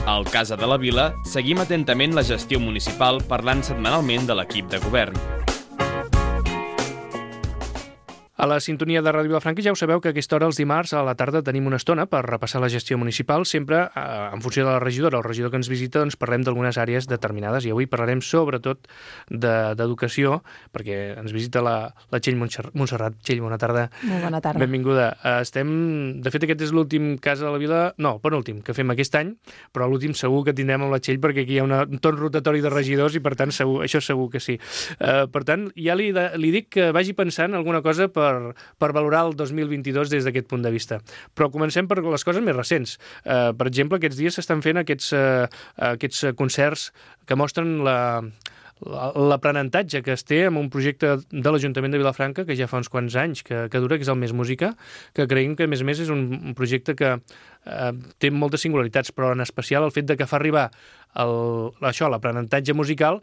Al Casa de la Vila seguim atentament la gestió municipal parlant setmanalment de l'equip de govern. A la sintonia de Ràdio Vilafranca ja ho sabeu que a aquesta hora, els dimarts, a la tarda, tenim una estona per repassar la gestió municipal, sempre en funció de la regidora o el regidor que ens visita, doncs parlem d'algunes àrees determinades i avui parlarem sobretot d'educació, perquè ens visita la Txell Montserrat. Txell, bona tarda. Molt bona tarda. Benvinguda. De fet, aquest és l'últim Casa de la Vila, no, penúltim, que fem aquest any, però l'últim segur que tindrem amb la Txell perquè aquí hi ha un torn rotatori de regidors i per tant això segur que sí. Per tant, ja li dic que vagi pensant alguna cosa per valorar el 2022 des d'aquest punt de vista. Però comencem per les coses més recents. Per exemple, aquests dies s'estan fent aquests concerts que mostren l'aprenentatge que es té amb un projecte de l'Ajuntament de Vilafranca que ja fa uns quants anys que dura, que és el Més Música, que creiem que, a més, és un projecte que té moltes singularitats, però en especial el fet de que fa arribar l'aprenentatge musical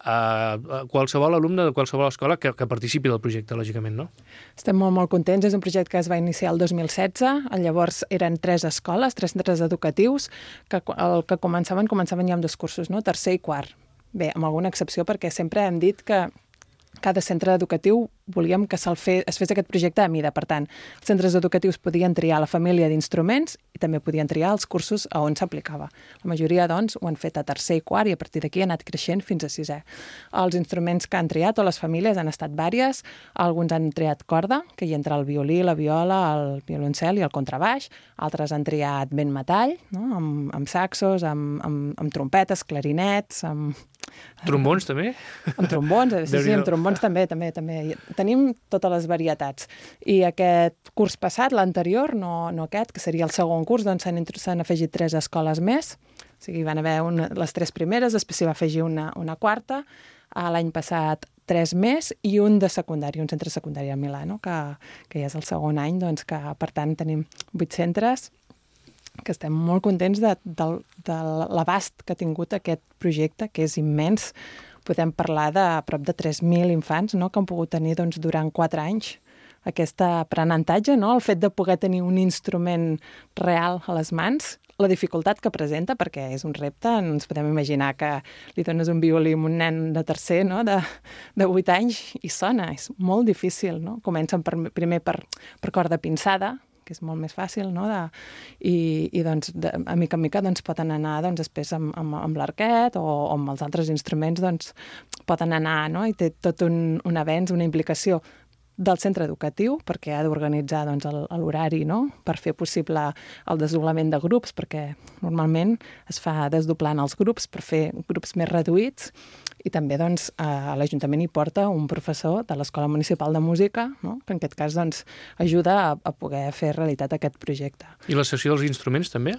a qualsevol alumne de qualsevol escola que participi del projecte, lògicament, no? Estem molt contents. És un projecte que es va iniciar el 2016. Llavors eren 3 escoles, 3 centres educatius, que el que començaven ja amb 2 cursos, no? Tercer i quart. Bé, amb alguna excepció, perquè sempre hem dit que cada centre educatiu volíem que es fes aquest projecte a mida. Per tant, els centres educatius podien triar la família d'instruments i també podien triar els cursos a on s'aplicava. La majoria, doncs, ho han fet a tercer i quart i a partir d'aquí ha anat creixent fins a sisè. Els instruments que han triat, o les famílies, han estat vàries. Alguns han triat corda, que hi entra el violí, la viola, el violoncel i el contrabaix. Altres han triat vent metall, no? amb saxos, amb trompetes, clarinets, amb... Trombons, també? Amb trombons, sí, amb trombons també. Tenim totes les varietats. I aquest curs passat, l'anterior, no aquest, que seria el segon curs, doncs s'han afegit 3 escoles més. O sigui, van haver les 3 primeres, després s'hi va afegir una quarta. L'any passat 3 més i un de secundari, un centre secundari a Milà, no? que ja és el segon any, doncs que per tant tenim 8 centres, que estem molt contents de l'abast que ha tingut aquest projecte, que és immens. Podem parlar de prop de 3.000 infants, no?, que han pogut tenir durant 4 anys aquest aprenentatge, no?, el fet de poder tenir un instrument real a les mans, la dificultat que presenta, perquè és un repte, no ens podem imaginar que li dones un violí a un nen de tercer, no?, de 8 anys i sona, és molt difícil, no? Comencen primer per corda pinçada, que és molt més fàcil, no? I doncs, a mica en mica, doncs, poden anar després amb l'arquet o amb els altres instruments, doncs, poden anar, no? I té tot un avenç, una implicació del centre educatiu, perquè ha d'organitzar doncs, l'horari, no?, per fer possible el desdoblament de grups, perquè normalment es fa desdoblant els grups per fer grups més reduïts, i també doncs, l'Ajuntament hi porta un professor de l'Escola Municipal de Música, no?, que en aquest cas doncs, ajuda a poder fer realitat aquest projecte. I la sessió dels instruments també?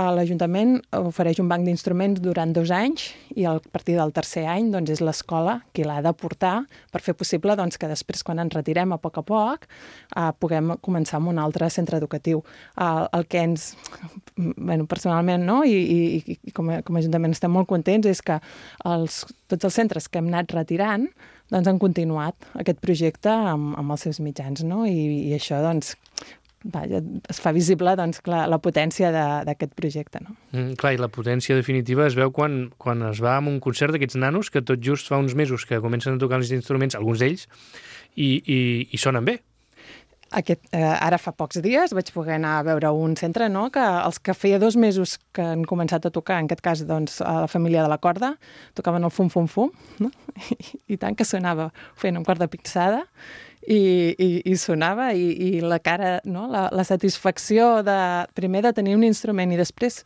L'Ajuntament ofereix un banc d'instruments durant 2 anys i a partir del tercer any doncs, és l'escola qui l'ha de portar per fer possible doncs, que després, quan ens retirem a poc, puguem començar amb un altre centre educatiu. El que ens, personalment, no? I com a Ajuntament estem molt contents, és que tots els centres que hem anat retirant doncs, han continuat aquest projecte amb els seus mitjans, no? I això, doncs, es fa visible doncs, clar, la potència d'aquest projecte. No? Clar, i la potència definitiva es veu quan es va amb un concert d'aquests nanos que tot just fa uns mesos que comencen a tocar els instruments, alguns d'ells, i sonen bé. Ara fa pocs dies vaig poder anar a veure un centre, no? Que els que feia 2 mesos que han començat a tocar, en aquest cas doncs, a la família de la corda, tocaven el fum-fum-fum, no? I tant que sonava fent amb corda pinçada, i sonava, i la cara, no? La satisfacció primer de tenir un instrument i després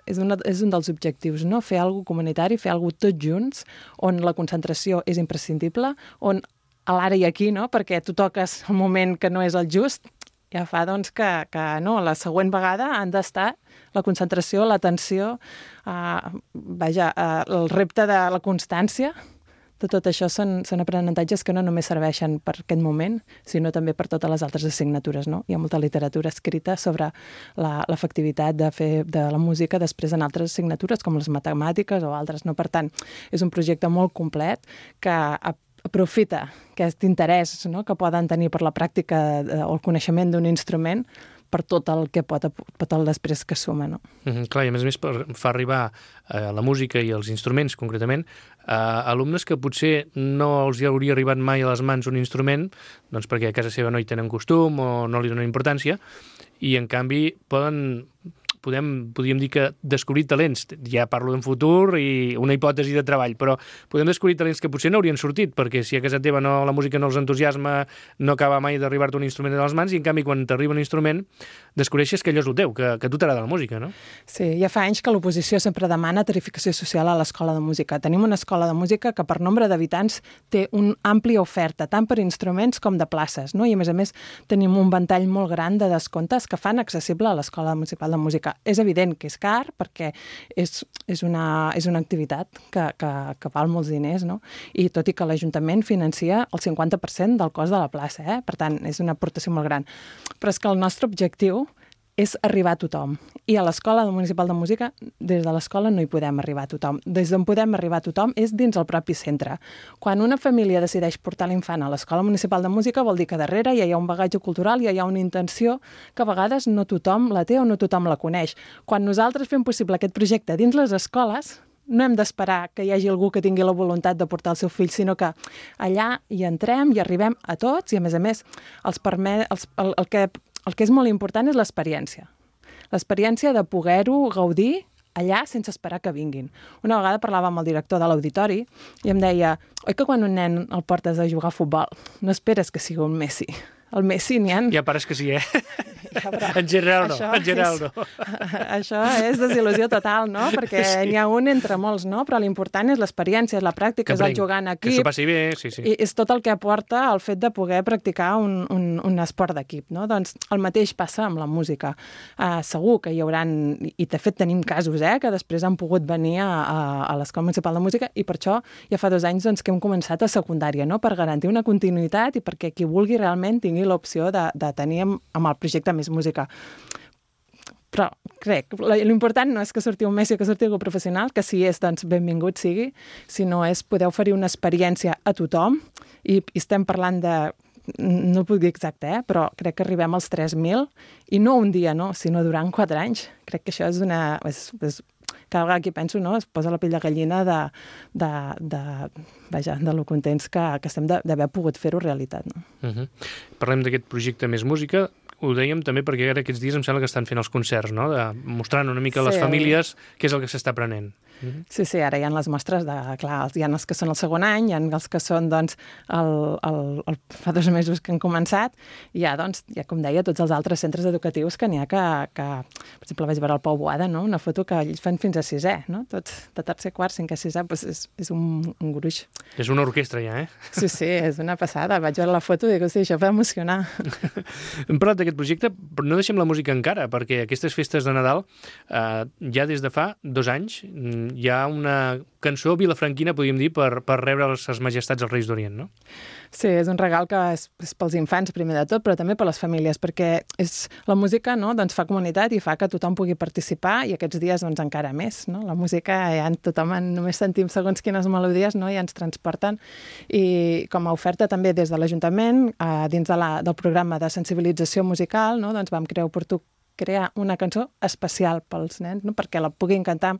és un dels objectius, no? Fer alguna cosa comunitari, fer alguna cosa tots junts, on la concentració és imprescindible, on a l'ara i aquí, no? Perquè tu toques el moment que no és el just, ja fa doncs, que no, la següent vegada han d'estar la concentració, l'atenció, el repte de la constància. Tot això són aprenentatges que no només serveixen per aquest moment, sinó també per totes les altres assignatures, no? Hi ha molta literatura escrita sobre l'efectivitat de fer de la música després en altres assignatures, com les matemàtiques o altres, no? Per tant, és un projecte molt complet que aprofita aquest interès, no?, que poden tenir per la pràctica o el coneixement d'un instrument per tot el que pot el després que suma, no? Clar, i a més fa arribar la música i els instruments, concretament, a alumnes que potser no els hauria arribat mai a les mans un instrument, doncs perquè a casa seva no hi tenen costum o no li donen importància, i en canvi podríem dir que descobrir talents, ja parlo en futur i una hipòtesi de treball, però podem descobrir talents que potser no haurien sortit, perquè si a casa teva la música no els entusiasma, no acaba mai d'arribar-te un instrument a les mans, i en canvi quan t'arriba un instrument descobreixes que allò és el teu, que a tu t'agrada la música, no? Sí, ja fa anys que l'oposició sempre demana tarificació social a l'escola de música. Tenim una escola de música que per nombre d'habitants té una àmplia oferta, tant per instruments com de places, no? I a més tenim un ventall molt gran de descomptes que fan accessible a l'Escola Municipal de Música. És evident que és car perquè és una activitat que val molts diners, no? I tot i que l'Ajuntament financia el 50% del cost de la plaça, per tant, és una aportació molt gran. Però és que el nostre objectiu és arribar a tothom. I a l'Escola Municipal de Música, des de l'escola no hi podem arribar a tothom. Des d'on podem arribar a tothom és dins el propi centre. Quan una família decideix portar l'infant a l'Escola Municipal de Música vol dir que darrere ja hi ha un bagatge cultural, ja hi ha una intenció que a vegades no tothom la té o no tothom la coneix. Quan nosaltres fem possible aquest projecte dins les escoles, no hem d'esperar que hi hagi algú que tingui la voluntat de portar el seu fill, sinó que allà hi entrem i arribem a tots i, a més, el que és molt important és l'experiència. L'experiència de poder-ho gaudir allà sense esperar que vinguin. Una vegada parlava amb el director de l'auditori i em deia, oi que quan un nen el portes a jugar a futbol no esperes que sigui un Messi? El Messi n'hi ha... Ja pares que sí, Ja, en general no. Això és desil·lusió total, no? Perquè n'hi ha un entre molts, no? Però l'important és l'experiència, és la pràctica, és el jugar en equip. Que s'ho passi bé, sí. I és tot el que aporta el fet de poder practicar un esport d'equip, no? Doncs el mateix passa amb la música. Segur que hi hauran, i de fet tenim casos, que després han pogut venir a l'Escola Municipal de Música, i per això ja fa 2 anys que hem començat a secundària, no? Per garantir una continuïtat i perquè qui vulgui realment tingui l'opció de tenir amb el projecte Més Música. Però crec, l'important no és que surti un Messi o que surti algú professional, que si és, doncs benvingut sigui, sinó és poder oferir una experiència a tothom, i estem parlant de, no puc dir exacte, però crec que arribem als 3.000, i no un dia, no, sinó durant 4 anys. Crec que això és una... cada vegada que penso, no, es posa la pell de gallina de lo contents que estem d'haver pogut fer-ho realitat. No? Parlem d'aquest projecte Més Música. Ho dèiem també perquè ara aquests dies em sembla que estan fent els concerts, no? Mostrant una mica a les famílies què és el que s'està aprenent. Sí, ara hi ha les mostres clar, hi ha els que són el segon any, hi ha els que són, doncs, fa 2 mesos que han començat, i hi ha, doncs, com deia, tots els altres centres educatius que n'hi ha que per exemple, vaig veure el Pau Boada, no? Una foto que ells fan fins a 6è, no? Tots de tercer, quart, 5è, 6è, doncs és un gruix. És una orquestra ja, Sí, és una passada. Vaig veure la foto i dic, hosti, això va emocionar. Hem parlat d'aquest projecte, però no deixem la música encara, perquè aquestes festes de Nadal, ja des de fa 2 anys, hi ha una cançó vilafranquina, podríem dir, per rebre les majestats dels Reis d'Orient, no? Sí, és un regal que és pels infants, primer de tot, però també per les famílies, perquè la música, no, doncs, fa comunitat i fa que tothom pugui participar, i aquests dies doncs, encara més. No? La música, només sentim segons quines melodies, no? Ja ens transporten. I com a oferta també des de l'Ajuntament, dins del programa de sensibilització musical, no? Doncs vam crear una cançó especial pels nens, no? Perquè la puguin cantar.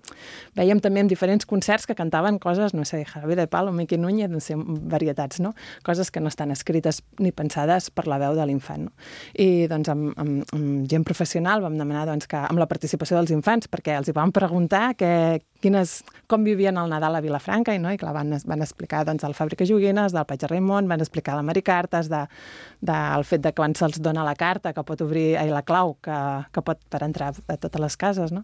Veiem també en diferents concerts que cantaven coses, no sé, Jarabe de Palo, Miqui Núñez, no sé, varietats, no? Coses que no estan escrites ni pensades per la veu de l'infant, no? I doncs amb gent professional vam demanar doncs, que amb la participació dels infants, perquè els hi vam preguntar com vivien el Nadal a Vilafranca, no? I clar, van explicar doncs, el Fàbrica Joguines, del Patge Raimon, van explicar la Maricartes, del fet de quan se'ls dona la carta, que pot obrir la clau, que pot per entrar a totes les cases, no?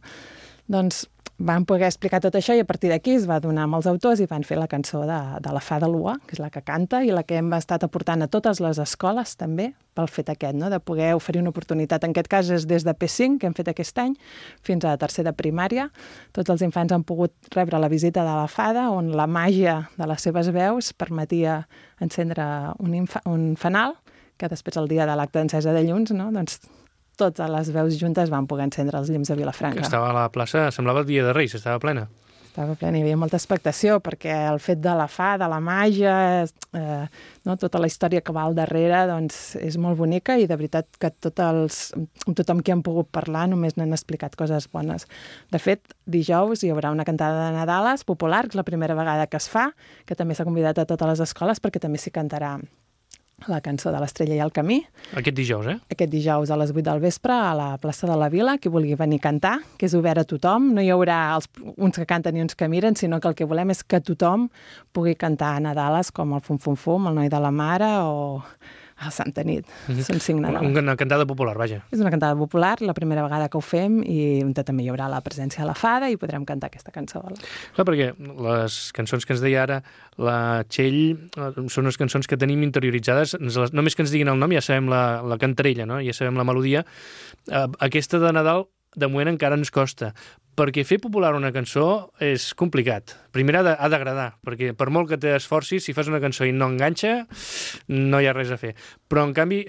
Doncs van poder explicar tot això i a partir d'aquí es va donar amb els autors i van fer la cançó de la Fada Lua, que és la que canta i la que hem estat aportant a totes les escoles també pel fet aquest, no? De poder oferir una oportunitat. En aquest cas és des de P5, que hem fet aquest any, fins a tercer de primària. Tots els infants han pogut rebre la visita de la Fada, on la màgia de les seves veus permetia encendre un fanal, que després el dia de l'acte d'encesa de llums, no? Doncs totes les veus juntes van poder encendre els llums de Vilafranca. Que estava a la plaça, semblava el dia de Reis, estava plena. Estava plena, hi havia molta expectació, perquè el fet de la fada, de la màgia, no, tota la història que va al darrere, doncs és molt bonica i de veritat que tothom qui han pogut parlar només n'han explicat coses bones. De fet, dijous hi haurà una cantada de Nadales popular, que és la primera vegada que es fa, que també s'ha convidat a totes les escoles perquè també s'hi cantarà la cançó de l'Estrella i el Camí. Aquest dijous, Aquest dijous a les 8 del vespre a la plaça de la Vila, qui vulgui venir a cantar, que és obert a tothom. No hi haurà uns que canten i uns que miren, sinó que el que volem és que tothom pugui cantar a Nadales, com el Fum Fum Fum, el Noi de la Mare o a Santa Nit. Són 5 Nadales. Una cantada popular, vaja. És una cantada popular, la primera vegada que ho fem, i també hi haurà la presència de la fada i podrem cantar aquesta cançó. Clar, perquè les cançons que ens deia ara la Txell són unes cançons que tenim interioritzades, només que ens diguin el nom ja sabem la cantarella, no? Ja sabem la melodia. Aquesta de Nadal de moment encara ens costa, perquè fer popular una cançó és complicat. Primer ha d'agradar, perquè per molt que t'esforcis, si fas una cançó i no enganxa, no hi ha res a fer. Però, en canvi,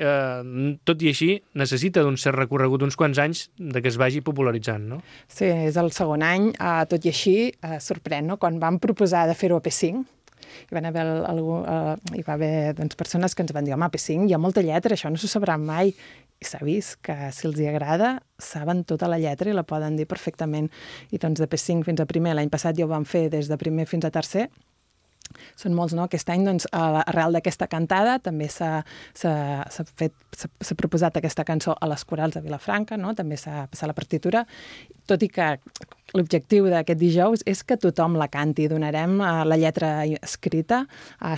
tot i així, necessita d'un cert recorregut, uns quants anys, de que es vagi popularitzant, no? Sí, és el segon any. Tot i així, sorprèn, no? Quan vam proposar de fer-ho a P5, hi va haver persones que ens van dir, home, P5 hi ha molta lletra, això no s'ho sabran mai. I s'ha vist que si els hi agrada, saben tota la lletra i la poden dir perfectament. I doncs de P5 fins a primer, l'any passat ja ho vam fer des de primer fins a tercer. Són molts, no? Aquest any, doncs, arrel d'aquesta cantada, també s'ha proposat aquesta cançó a les corals de Vilafranca, no? També s'ha passat la partitura, tot i que l'objectiu d'aquest dijous és que tothom la canti. Donarem la lletra escrita.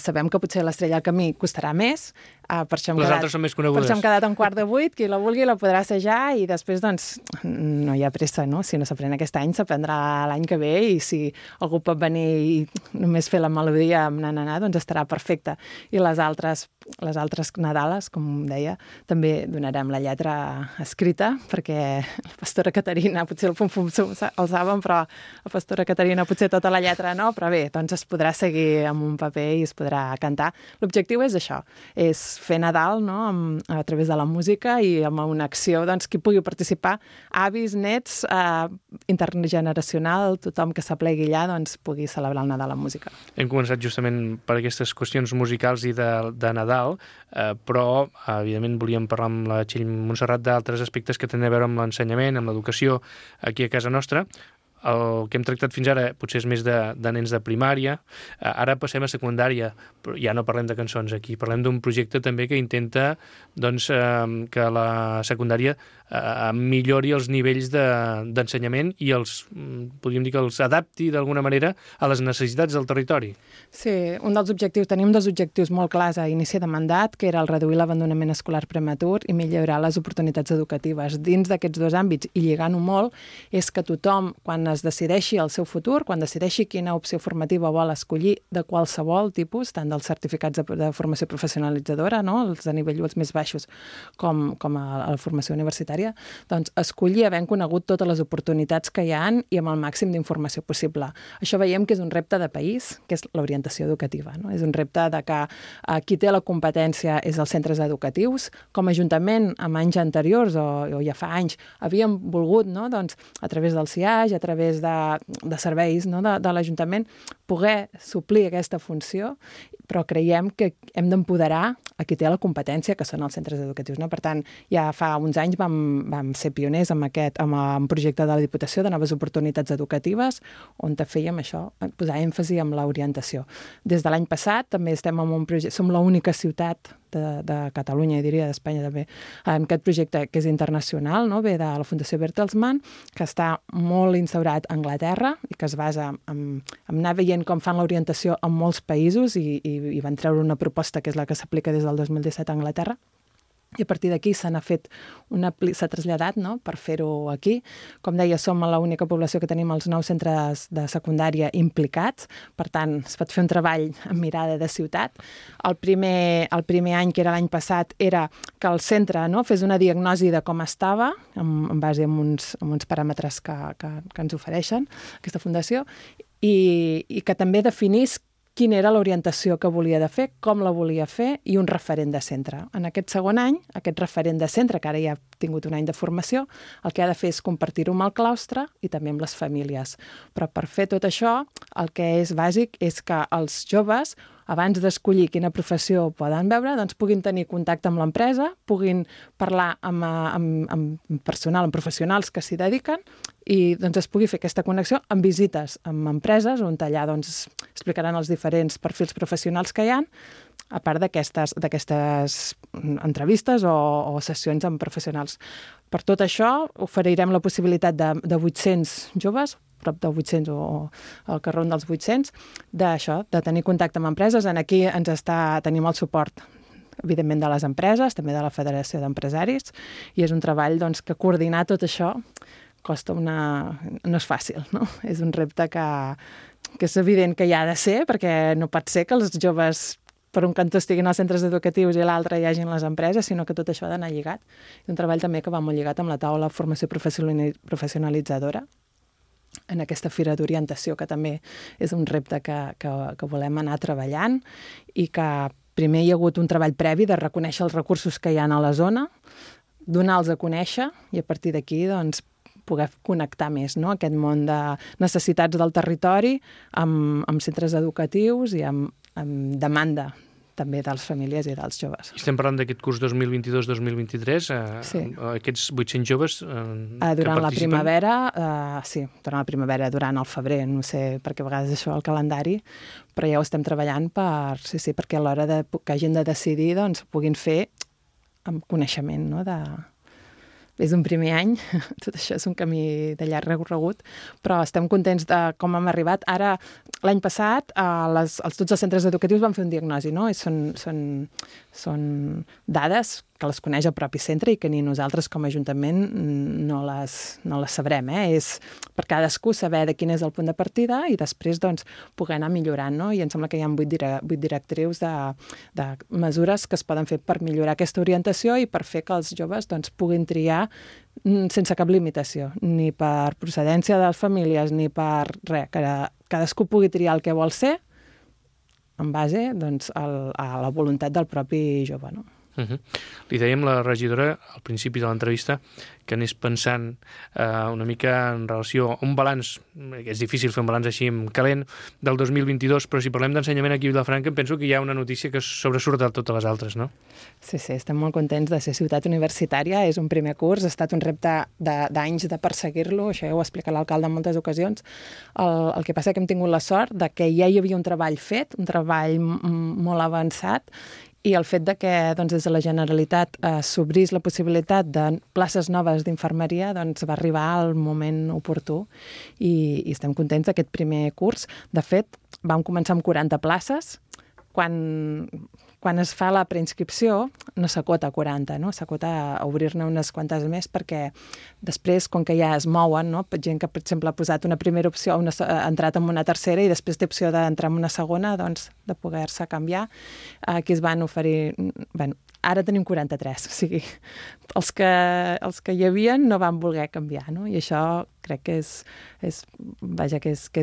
Sabem que potser l'Estrella al Camí costarà més. Per això les altres són més conegudes. Per això hem quedat a 1:15. Qui la vulgui la podrà assajar i després, doncs, no hi ha pressa, no? Si no s'aprèn aquest any, s'aprendrà l'any que ve i si algú pot venir i només fer la melodia amb na-na-na, doncs estarà perfecte. I les altres Nadales, com deia, també donarem la lletra escrita perquè la pastora Caterina, potser el Fum-Fum el saben, però la pastora Caterina potser tota la lletra no, però bé, doncs es podrà seguir amb un paper i es podrà cantar. L'objectiu és això, és fer Nadal, no?, a través de la música i amb una acció, doncs, qui pugui participar, avis, nets, intergeneracional, tothom que s'aplegui allà, doncs, pugui celebrar el Nadal amb música. Hem començat justament per aquestes qüestions musicals i de Nadal, però, evidentment, volíem parlar amb la Txell Montserrat d'altres aspectes que tenen a veure amb l'ensenyament, amb l'educació aquí a casa nostra. El que hem tractat fins ara potser és més de nens de primària, ara passem a secundària, però ja no parlem de cançons aquí, parlem d'un projecte també que intenta, doncs, que la secundària millori els nivells d'ensenyament i podríem dir que els adapti d'alguna manera a les necessitats del territori. Sí, un dels objectius, tenim dos objectius molt clars a inici de mandat, que era el reduir l'abandonament escolar prematur i millorar les oportunitats educatives. Dins d'aquests dos àmbits, i lligant-ho molt, és que tothom, quan es decideixi el seu futur, quan decideixi quina opció formativa vol escollir de qualsevol tipus, tant dels certificats de formació professionalitzadora, no?, els de nivell els més baixos, com a la formació universitària, doncs escollir havent conegut totes les oportunitats que hi ha i amb el màxim d'informació possible. Això veiem que és un repte de país, que és l'orientació educativa, no? És un repte de que qui té la competència és els centres educatius. Com a Ajuntament, en anys anteriors, o ja fa anys, havíem volgut, no?, doncs, a través del CIAG, a través de serveis, no?, de l'Ajuntament, poder suplir aquesta funció, però creiem que hem d'empoderar a qui té la competència, que són els centres educatius, no? Per tant, ja fa uns anys vam ser pioners amb un projecte de la Diputació de noves oportunitats educatives, on fèiem això, posar èmfasi en l'orientació. Des de l'any passat també estem en un projecte, som l'única ciutat de Catalunya, i diria d'Espanya també, en aquest projecte que és internacional, no?, ve de la Fundació Bertelsmann, que està molt instaurat a Anglaterra i que es basa en anar veient com fan l'orientació en molts països i van treure una proposta que és la que s'aplica des del 2017 a Anglaterra. I a partir d'aquí s'ha traslladat, no?, per fer-ho aquí. Com deia, som l'única població que tenim els 9 centres de secundària implicats, per tant, es pot fer un treball amb mirada de ciutat. El primer any, que era l'any passat, era que el centre, no?, fes una diagnosi de com estava, en base a uns paràmetres que ens ofereixen aquesta fundació, i que també definís quina era l'orientació que volia de fer, com la volia fer i un referent de centre. En aquest segon any, aquest referent de centre, que ara ja ha tingut un any de formació, el que ha de fer és compartir-ho amb el claustre i també amb les famílies. Però per fer tot això, el que és bàsic és que els joves, abans d'escollir quina professió poden veure, doncs puguin tenir contacte amb l'empresa, puguin parlar amb personal, amb professionals que s'hi dediquen i doncs es pugui fer aquesta connexió amb visites amb empreses on allà doncs, explicaran els diferents perfils professionals que hi ha, a part d'aquestes entrevistes o sessions amb professionals. Per tot això, oferirem la possibilitat de 800 joves, prop de 800 o al carrer dels 800, d'això, de tenir contacte amb empreses. Aquí tenim el suport, evidentment, de les empreses, també de la Federació d'Empresaris, i és un treball doncs, que coordinar tot això costa no és fàcil, no? És un repte que és evident que hi ha de ser, perquè no pot ser que els joves per un cantó estiguin als centres educatius i l'altre hi hagin les empreses, sinó que tot això ha d'anar lligat. És un treball també que va molt lligat amb la taula de formació professionalitzadora, en aquesta fira d'orientació, que també és un repte que volem anar treballant i que primer hi ha hagut un treball previ de reconèixer els recursos que hi ha a la zona, donar-los a conèixer i a partir d'aquí doncs, poder connectar més, no? Aquest món de necessitats del territori amb centres educatius i amb demanda també de les famílies i dels joves. Estem parlant d'aquest curs 2022-2023, sí. Aquests 800 joves que participen? Durant la primavera, sí, durant la primavera, durant el febrer, no sé, perquè a vegades això el calendari, però ja ho estem treballant perquè a l'hora que hagin de decidir doncs puguin fer amb coneixement, no?, és un primer any, tot això és un camí de llarg recorregut, però estem contents de com hem arribat. Ara, l'any passat, tots els centres educatius van fer un diagnosi, no? I són dades que les coneix el propi centre i que ni nosaltres com a Ajuntament no les sabrem. És per cadascú saber de quin és el punt de partida i després doncs, poder anar millorant. No? I em sembla que hi ha 8 directrius de mesures que es poden fer per millorar aquesta orientació i per fer que els joves doncs, puguin triar sense cap limitació, ni per procedència de les famílies, ni per res, que cadascú pugui triar el que vol ser en base doncs, a la voluntat del propi jove. No? Li dèiem la regidora al principi de l'entrevista que anés pensant una mica en relació a un balanç, és difícil fer un balanç així en calent, del 2022, però si parlem d'ensenyament aquí a Vilafranca em penso que hi ha una notícia que sobresurt de totes les altres, no? Sí, estem molt contents de ser ciutat universitària, és un primer curs, ha estat un repte d'anys de perseguir-lo, això ja ho ha explicat l'alcalde en moltes ocasions. El que passa que hem tingut la sort de que ja hi havia un treball fet, un treball molt avançat, i el fet de que doncs, des de la Generalitat s'obrís la possibilitat de places noves d'infermeria doncs, va arribar al moment oportú i estem contents d'aquest primer curs. De fet, vam començar amb 40 places. Quan es fa la preinscripció no s'acota a 40, no? S'acota a obrir-ne unes quantes més perquè després, com que ja es mouen, no? Gent que, per exemple, ha posat una primera opció, ha entrat en una tercera i després té opció d'entrar en una segona, doncs, de poder-se canviar. Aquí es van oferir... Bueno, ara tenim 43, o sigui, els que hi havia no van voler canviar, no? I això crec que és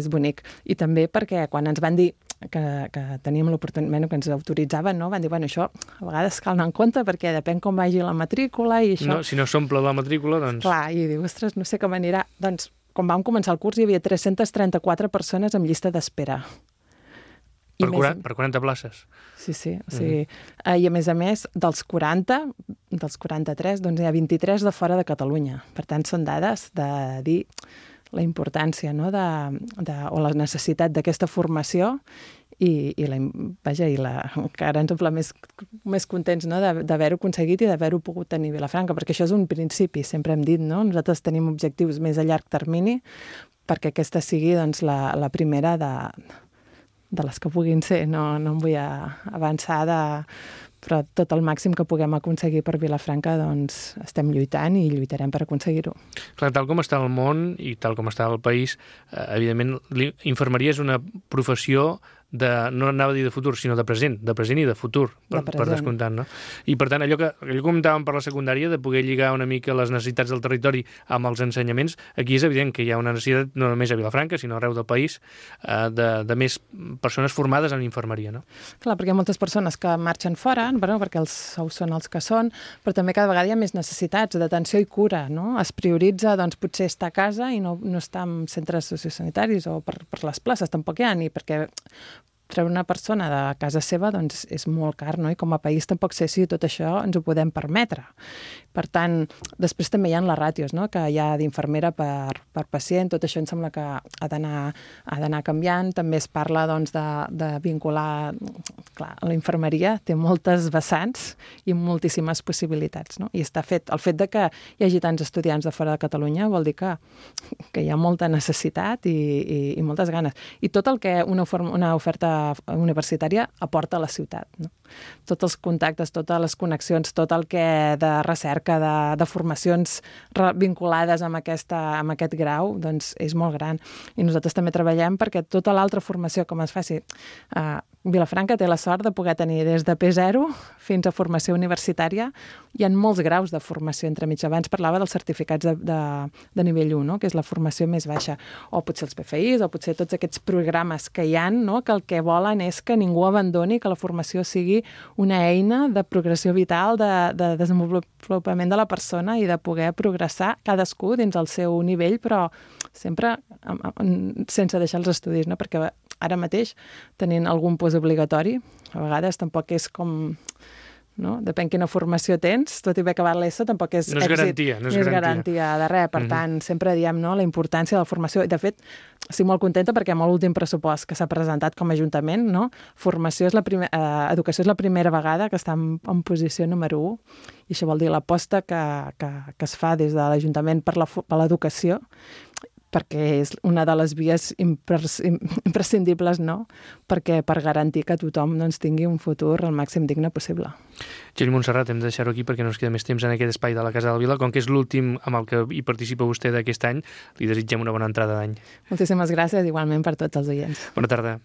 bonic. I també perquè quan ens van dir que teníem l'oportunitat, que ens autoritzaven, no? Van dir, bueno, això a vegades cal anar en compte perquè depèn com vagi la matrícula i això... No, si no s'omple la matrícula, doncs... Clar, i diu, ostres, no sé com anirà. Doncs, quan vam començar el curs hi havia 334 persones en llista d'espera. Per 40 places? Sí. O sigui, i a més, dels 43, doncs hi ha 23 de fora de Catalunya. Per tant, són dades de dir la importància, no? O la necessitat d'aquesta formació i que ara ens omple més contents, no? D'haver-ho aconseguit i d'haver-ho pogut tenir a Vilafranca, perquè això és un principi, sempre hem dit, no? Nosaltres tenim objectius més a llarg termini perquè aquesta sigui doncs, la primera de les que puguin ser. No em vull avançar però tot el màxim que puguem aconseguir per Vilafranca doncs estem lluitant i lluitarem per aconseguir-ho. Clar, tal com està el món i tal com està el país, evidentment, infermeria és una professió no anava a dir de futur, sinó de present i de futur, per descomptant, no? I per tant, allò que comentàvem per la secundària, de poder lligar una mica les necessitats del territori amb els ensenyaments, aquí és evident que hi ha una necessitat no només a Vilafranca, sinó arreu del país, de més persones formades en infermeria, no? Clar, perquè hi ha moltes persones que marxen fora, perquè els sous són els que són, però també cada vegada hi ha més necessitats d'atenció i cura, no? Es prioritza, doncs, potser estar a casa i no estar en centres sociosanitaris o per les places, tampoc hi ha, ni perquè treure una persona de casa seva doncs és molt car, no? I com a país tampoc sé si tot això ens ho podem permetre. Per tant, després també hi ha les ràtios, no? Que hi ha d'infermera per pacient, tot això em sembla que ha d'anar canviant. També es parla doncs, de vincular... Clar, la infermeria té moltes vessants i moltíssimes possibilitats, no? I està fet. El fet de que hi hagi tants estudiants de fora de Catalunya vol dir que hi ha molta necessitat i moltes ganes. I tot el que una oferta universitària aporta a la ciutat, no? Tots els contactes, totes les connexions, tot el que de recerca, de formacions vinculades amb aquest grau, doncs és molt gran. I nosaltres també treballem perquè tota l'altra formació com es faci. Vilafranca té la sort de poder tenir des de P0 fins a formació universitària. Hi ha molts graus de formació entremig. Abans parlava dels certificats de nivell 1, no? Que és la formació més baixa. O potser els PFIs, o potser tots aquests programes que hi ha, no? Que el que volen és que ningú abandoni, que la formació sigui una eina de progressió vital, de desenvolupament de la persona i de poder progressar cadascú dins el seu nivell, però sempre sense deixar els estudis, no? Perquè ara mateix, tenint algun postobligatori, a vegades tampoc és com... No? Depèn quina formació tens, tot i haver acabat l'ESO tampoc és èxit. No és garantia de res. Per tant, sempre diem, no?, la importància de la formació. I, de fet, estic molt contenta perquè amb l'últim pressupost que s'ha presentat com a Ajuntament, no? Educació és la primera vegada que està en posició número 1, i això vol dir l'aposta que es fa des de l'Ajuntament per l'educació, perquè és una de les vies imprescindibles, no?, per garantir que tothom doncs, tingui un futur el màxim digne possible. Txell Montserrat, hem de deixar-ho aquí perquè no ens queda més temps en aquest espai de la Casa del Vila. Com que és l'últim amb el que hi participa vostè d'aquest any, li desitgem una bona entrada d'any. Moltíssimes gràcies, igualment per tots els oients. Bona tarda.